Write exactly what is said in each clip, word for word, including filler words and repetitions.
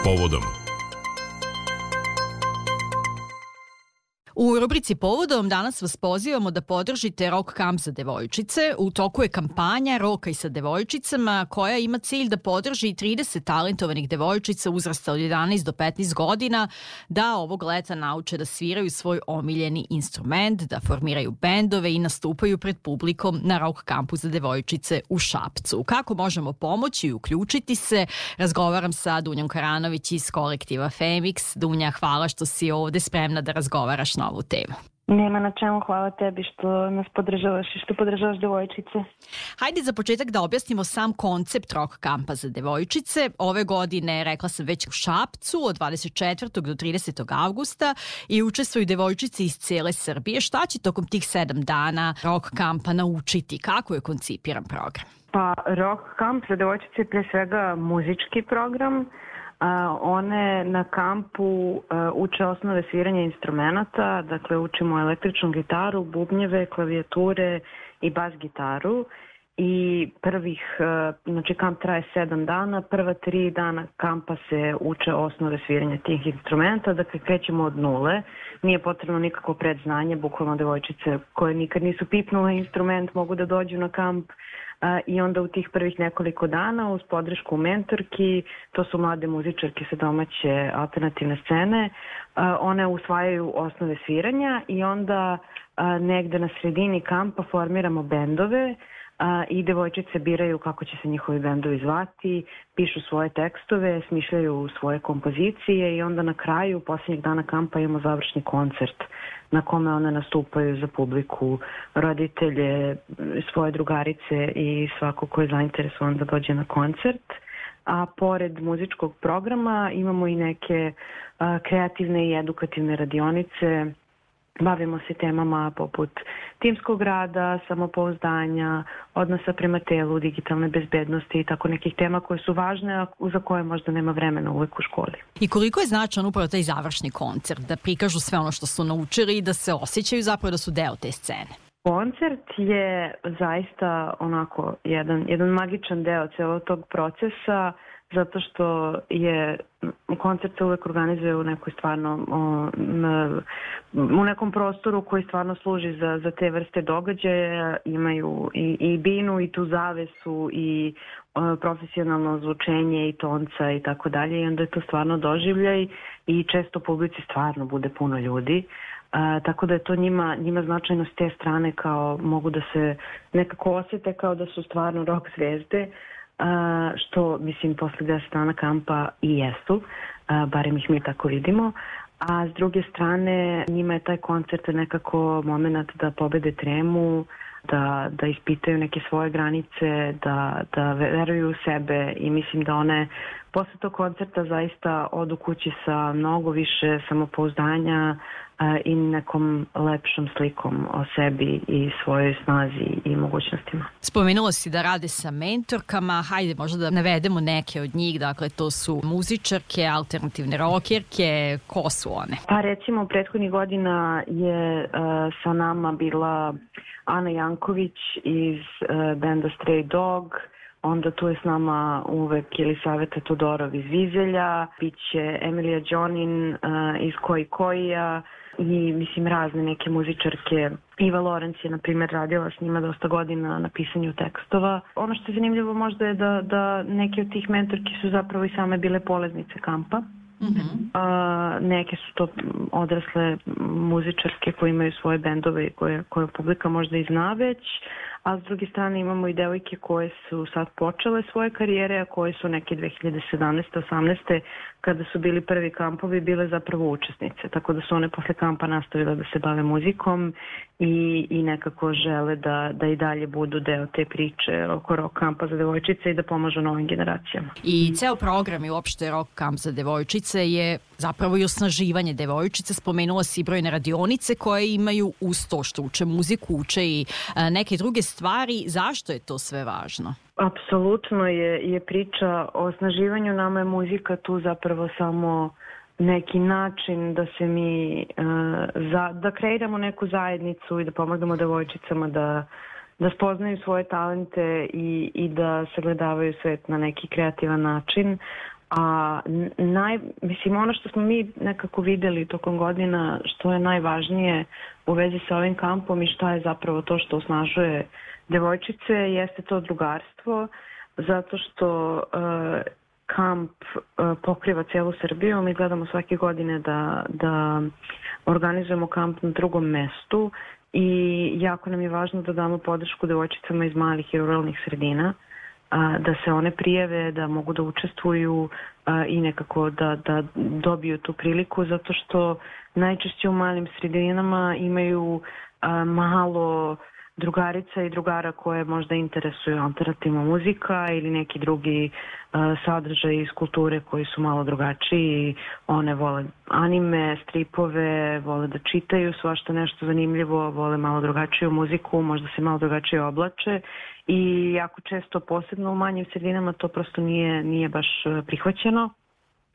Povodom. U rubrici Povodom danas vas pozivamo da podržite Rock Camp za devojčice. U toku je kampanja Roka i sa devojčicama koja ima cilj da podrži trideset talentovanih devojčica uzrasta od jedanaest do petnaest godina da ovog leta nauče da sviraju svoj omiljeni instrument, da formiraju bendove i nastupaju pred publikom na Rock Campu za devojčice u Šapcu. Kako možemo pomoći i uključiti se? Razgovaram sa Dunjom Karanović iz kolektiva Femix. Dunja, hvala što si ovde spremna da razgovaraš na ovu temu. Nema na čemu, hvala tebi što nas podržavaš i što podržavaš devojčice. Hajde za početak da objasnimo sam koncept Rock Campa za devojčice. Ove godine, rekla sam već u Šapcu, od dvadeset četvrtog do tridesetog avgusta i učestvuju devojčice iz cele Srbije. Šta će tokom tih sedam dana Rock Campa naučiti? Kako je koncipiran program? Pa Rock Camp za devojčice je pre svega muzički program. Uh, one na kampu uh, uče osnove sviranja instrumenata, dakle učimo električnu gitaru, bubnjeve, klavijature i bas gitaru. I prvih, uh, znači kamp traje sedam dana, prva tri dana kampa se uče osnove sviranja tih instrumenta, dakle krećemo od nule, nije potrebno nikako predznanje, bukvalno devojčice koje nikad nisu pipnule instrument mogu da dođu na kamp. Uh, I onda u tih prvih nekoliko dana uz podršku mentorki, to su mlade muzičarke sa domaće alternativne scene, uh, one usvajaju osnove sviranja i onda uh, negde na sredini kampa formiramo bendove uh, i devojčice biraju kako će se njihovi bendovi zvati, pišu svoje tekstove, smišljaju svoje kompozicije i onda na kraju posljednjeg dana kampa imamo završni koncert na kome one nastupaju za publiku, roditelje, svoje drugarice i svako ko je zainteresovan da dođe na koncert. A pored muzičkog programa imamo i neke a, kreativne i edukativne radionice. Bavimo se temama poput timskog rada, samopouzdanja, odnosa prema telu, digitalne bezbednosti i tako nekih tema koje su važne, a za koje možda nema vremena uvek u školi. I koliko je značajan upravo taj završni koncert, da prikažu sve ono što su naučili i da se osjećaju zapravo da su deo te scene? Koncert je zaista onako jedan, jedan magičan deo celog tog procesa, zato što je koncert se uvek organizuje u nekoj stvarno o, na, u nekom prostoru koji stvarno služi za, za te vrste događaja, imaju i, i binu i tu zavesu i o, profesionalno zvučenje i tonca i tako dalje i onda je to stvarno doživljaj i često u publici stvarno bude puno ljudi. Uh, tako da je to njima, njima značajno s te strane kao mogu da se nekako osjete kao da su stvarno rock zvezde, uh, što mislim posle deset dana kampa i jesu, uh, barem ih mi tako vidimo. A s druge strane njima je taj koncert nekako moment da pobede tremu, da, da ispitaju neke svoje granice, da, da veruju u sebe i mislim da one posle tog koncerta zaista odu kući sa mnogo više samopouzdanja i nekom lepšom slikom o sebi i svojoj snazi i mogućnostima. Spomenula si da rade sa mentorkama, hajde možda da navedemo neke od njih, dakle to su muzičarke, alternativne rokerke, ko su one? Pa recimo prethodnih godina je uh, sa nama bila Ana Janković iz uh, benda Stray Dog, onda tu je s nama uvek Jelisaveta Todorov iz Vizelja, biće Emilija Đonin uh, iz Koji Kojija i mislim razne neke muzičarke. Iva Lorenz je na primjer radila s njima dosta godina na pisanju tekstova. Ono što je zanimljivo možda je da, da neke od tih mentorki su zapravo i same bile polaznice kampa. Mm-hmm. Uh, neke su to odrasle muzičarske koje imaju svoje bendove koje, koje publika možda i zna već, a s druge strane imamo i devojke koje su sad počele svoje karijere, a koje su neke dve hiljade sedamnaeste osamnaeste kada su bili prvi kampovi bile zapravo učesnice, tako da su one posle kampa nastavile da se bave muzikom i, i nekako žele da, da i dalje budu deo te priče oko rock kampa za devojčice i da pomažu novim generacijama. I ceo program i uopšte rock kamp za devojčice je zapravo i osnaživanje devojčice. Spomenula si brojne radionice koje imaju uz to što uče muziku, uče i a, neke druge stvari. Zašto je to sve važno? Apsolutno je, je priča o osnaživanju. Nama je muzika tu zapravo samo neki način da se mi uh, za, da kreiramo neku zajednicu i da pomognemo devojčicama da, da spoznaju svoje talente i, i da sagledavaju svet na neki kreativan način. A naj, mislim, ono što smo mi nekako videli tokom godina, što je najvažnije u vezi sa ovim kampom i šta je zapravo to što osnažuje devojčice, jeste to drugarstvo, zato što uh, kamp uh, pokriva celu Srbiju. Mi gledamo svake godine da, da organizujemo kamp na drugom mestu i jako nam je važno da damo podršku devojčicama iz malih i ruralnih sredina, da se one prijave, da mogu da učestvuju i nekako da, da dobiju tu priliku, zato što najčešće u malim sredinama imaju malo drugarica i drugara koje možda interesuju alternativna muzika ili neki drugi sadržaj iz kulture koji su malo drugačiji. One vole anime, stripove, vole da čitaju svašta nešto zanimljivo, vole malo drugačiju muziku, možda se malo drugačije oblače i jako često, posebno u manjim sredinama, to prosto nije, nije baš prihvaćeno.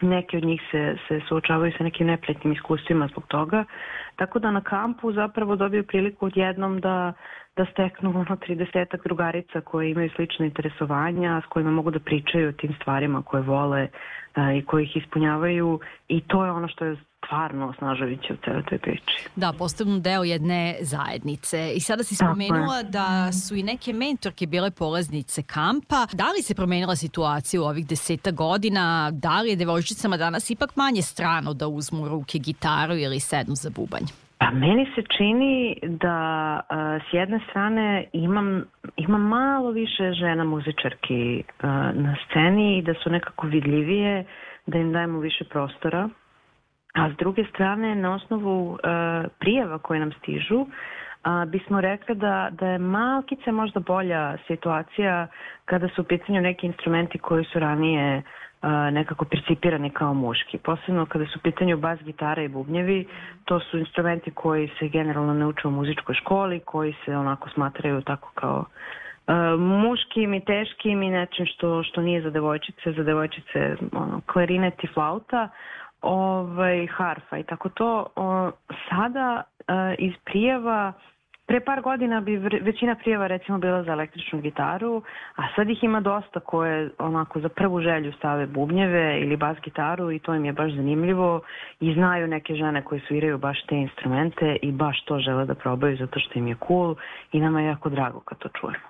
Neki od njih se, se suočavaju sa nekim neprijatnim iskustvima zbog toga. Tako da na kampu zapravo dobiju priliku odjednom da, da steknu ono tridesetak drugarica koje imaju slične interesovanja, s kojima mogu da pričaju o tim stvarima koje vole a, i koje ih ispunjavaju, i to je ono što je stvarno osnažujuće u celoj toj priči. Da, postanu deo jedne zajednice. I sada si spomenula da su i neke mentorke bile polaznice kampa. Da li se promenila situacija u ovih deseta godina? Da li je devojčicama danas ipak manje strano da uzmu u ruke gitaru ili sednu za bubanj? Pa meni se čini da a, s jedne strane imam, imam malo više žena muzičarki a, na sceni i da su nekako vidljivije, da im dajemo više prostora. A s druge strane, na osnovu uh, prijava koje nam stižu, uh, bismo rekli da, da je malkice možda bolja situacija kada su u pitanju neki instrumenti koji su ranije uh, nekako percipirani kao muški. Posebno kada su u pitanju bas, gitara i bubnjevi, to su instrumenti koji se generalno ne uče u muzičkoj školi, koji se onako smatraju tako kao uh, muškim i teškim i nečim što, što nije za devojčice, za devojčice ono, klarinet i flauta, ovaj, harfa i tako to. O, sada e, iz prijava, pre par godina bi većina prijava recimo bila za električnu gitaru, a sad ih ima dosta koje onako za prvu želju stave bubnjeve ili bas gitaru i to im je baš zanimljivo i znaju neke žene koje sviraju baš te instrumente i baš to žele da probaju zato što im je cool i nama je jako drago kad to čujemo.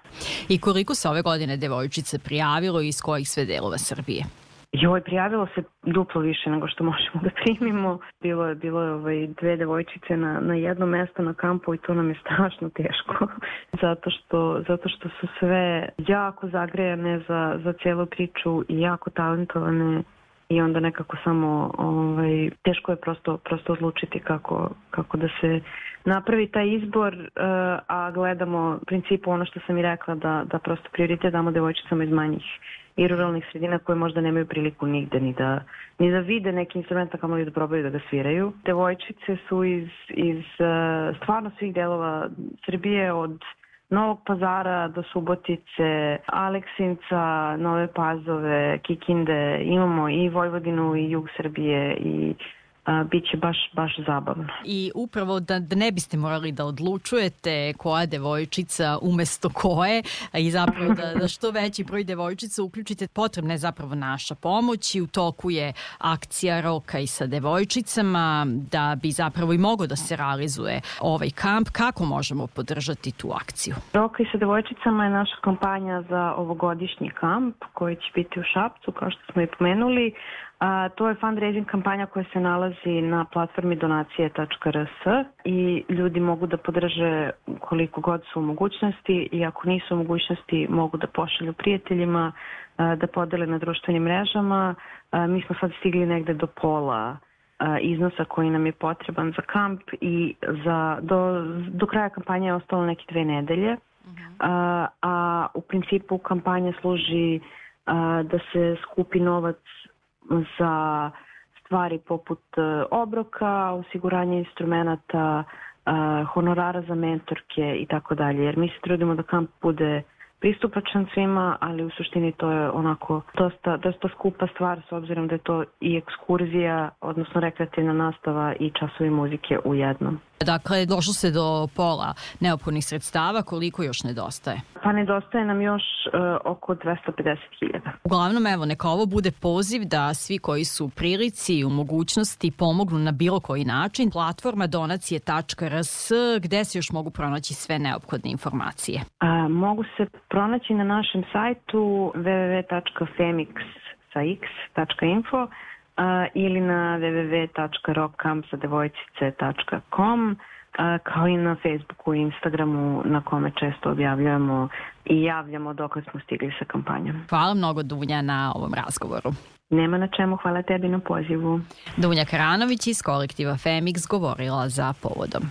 I koliko se ove godine devojčice prijavilo i iz kojih sve delova Srbije? Joj, prijavilo se duplo više nego što možemo da primimo. Bilo je, bilo je ovaj, dve devojčice na, na jedno mesto na kampu i to nam je strašno teško. zato, što, zato što su sve jako zagrejane za, za cijelu priču i jako talentovane i onda nekako samo ovaj, teško je prosto, prosto odlučiti kako, kako da se napravi taj izbor, uh, a gledamo u principu ono što sam i rekla da, da prosto prioritet damo devojčicama iz manjih i ruralnih sredina koje možda nemaju priliku nigde ni da, ni da vide neki instrument, kamo li da probaju da ga sviraju. Devojčice su iz, iz uh, stvarno svih delova Srbije, od Novog Pazara do Subotice, Aleksinca, Nove Pazove, Kikinde, imamo i Vojvodinu i jug Srbije i a, bit će baš, baš zabavno. I upravo da, da ne biste morali da odlučujete koja devojčica umesto koje i zapravo da, da što veći broj devojčica uključite, potrebna je zapravo naša pomoć i u toku je akcija Roka i sa devojčicama da bi zapravo i mogo da se realizuje ovaj kamp. Kako možemo podržati tu akciju? Roka i sa devojčicama je naša kampanja za ovogodišnji kamp koji će biti u Šapcu, kao što smo i pomenuli. A, to je fundraising kampanja koja se nalazi na platformi donacije tačka r s i ljudi mogu da podrže koliko god su u mogućnosti i ako nisu u mogućnosti mogu da pošalju prijateljima, a, da podele na društvenim mrežama. A, mi smo sad stigli negde do pola a, iznosa koji nam je potreban za kamp i za, do, do kraja kampanje je ostalo neke dve nedelje. Uh-huh. a, a u principu kampanja služi a, da se skupi novac za stvari poput obroka, osiguranja instrumenata, honorara za mentorke i tako dalje. Jer mi se trudimo da kamp bude pristupačan svima, ali u suštini to je onako dosta, dosta skupa stvar s obzirom da je to i ekskurzija, odnosno rekreativna nastava i časovi muzike u jednom. Dakle, došlo se do pola neophodnih sredstava, koliko još nedostaje? Pa nedostaje nam još uh, oko dvesta pedeset hiljada. Uglavnom, evo, neka ovo bude poziv da svi koji su u prilici i u mogućnosti pomognu na bilo koji način. Platforma donacije tačka r s, gde se još mogu pronaći sve neophodne informacije? A, mogu se pronaći na našem sajtu w w w tačka femix tačka info Uh, ili na w w w tačka rock camp za devojčice tačka com, uh, kao i na Facebooku i Instagramu na kome često objavljujemo i javljamo dokle smo stigli sa kampanjom. Hvala mnogo, Dunja, na ovom razgovoru. Nema na čemu, hvala tebi na pozivu. Dunja Karanović iz kolektiva Femix govorila za Povodom.